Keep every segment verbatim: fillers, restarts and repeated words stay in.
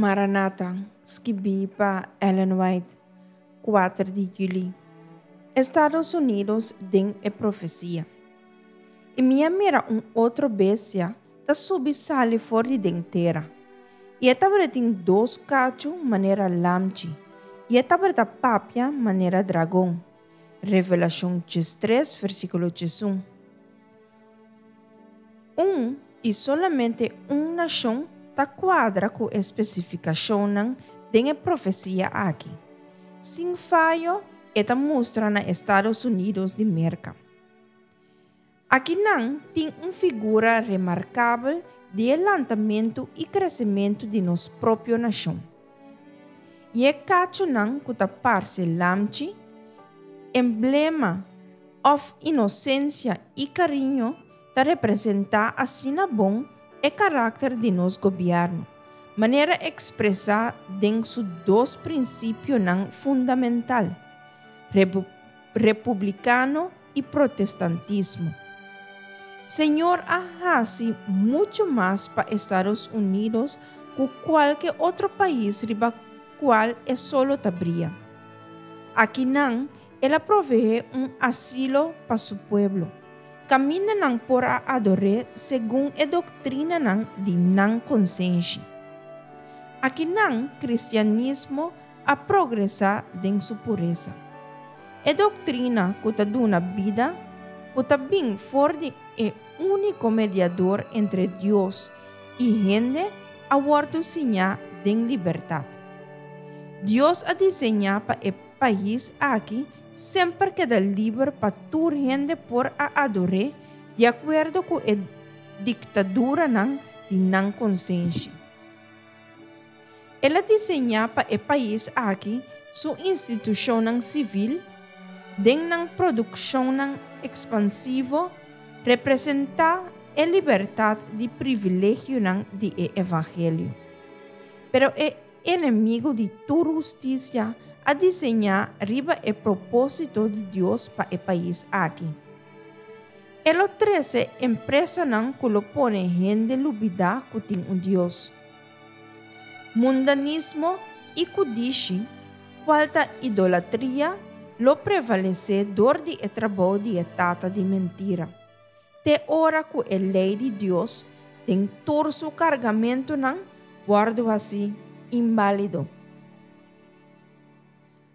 Maranata, skibí pa Ellen White, kuater di yüli. Estados Unidos den e profesia. I mi a mira un otro bestia ta subi sali for di den tera. I e tabatin dos kachu manera lamchi, i e tabata papia manera dragon. Revelashon tres, versíkulo un. Un i solamente un nashon ta kuadra ku e spesifikashonnan den e profesia aki. Sin fayo, e ta mustra na Estados Unidos di Merka. Akinan tin un figura remarkabel di lantamentu i kresementu di nos propio nashon. I e kachunan ku ta parse lamchi, emblema òf inosensia i kariño, ta representá asina bon e karakter di nos gobièrnu, manera ekspresá den su dos prinsipionan fundamental, repu republikano i protestantismo. Señor a hasi muchu mas pa Estados Unidos ku kualke otro pais riba kual e solo ta bria. Akinan, el a proveé un asilo pa su pueblo. Kaminda nan por a ador'é segun e doktrinanan di nan konsenshi. Akinan, kristianismo a progresá den su puresa. E doktrina ku ta duna bida, ku ta bin for di e úniko mediador entre Dios i hende, a wòrdu siñá den libertat. Dios a diseñá pa e pais aki semper keda liber pa tur hende por a ador'é di akuerdo ku e diktaduranan di nan konsenshi. El a diseñá pa e pais aki su institushonnan sivil, den nan produkshonnan ekspansivo, representá e libertat di privilegionan di e evangelio. Pero e enemigu di tur hustisia a diseñá riba e propósito di Dios pa e pais aki. E lo trese empresanan ku lo pone hende lubidá ku tin un Dios. Mundanismo i kudishi, kual ta idolatria, lo prevalesé dor di e trabou di e tata di mentira. Te ora ku e lei di Dios den tur su kargamentunan wòrdu hasí inválido.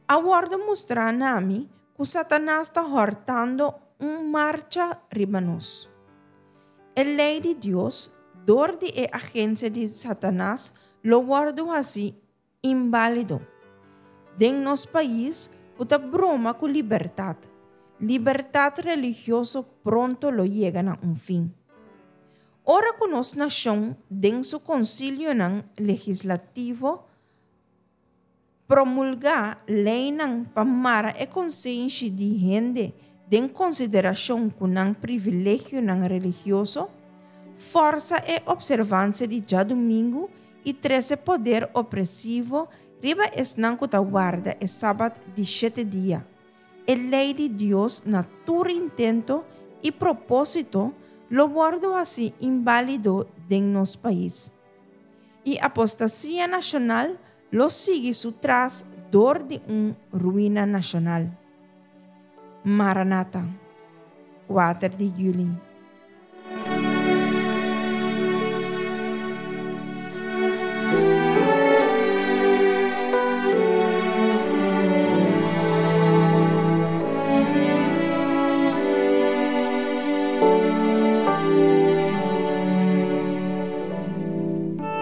A wòrdu mustrá na mi ku Satanas ta hòrtando un marcha riba nos. E lei di Dios, dor di e agensia di Satanas, lo wòrdu hasí inválido. Den nos pais, ta broma ku libertat. Libertat religioso pronto lo yega na un fin. Ora ku nos nashon den su konsilionan legislativo promulgá leinan pa mara e konsenshi di hende den konsiderashon ku nan privilegionan religioso, forsa e opservansia di djadumingu i trese poder opresivo riba esnan ku ta warda e sabat di shete dia. E lei di Dios na tur intento i propósito lo wòrdu hasí inválido den nos pais. I apostasia nashonal lo sigui su tras dor di un ruina nashonal. Maranata, kuater di yüli.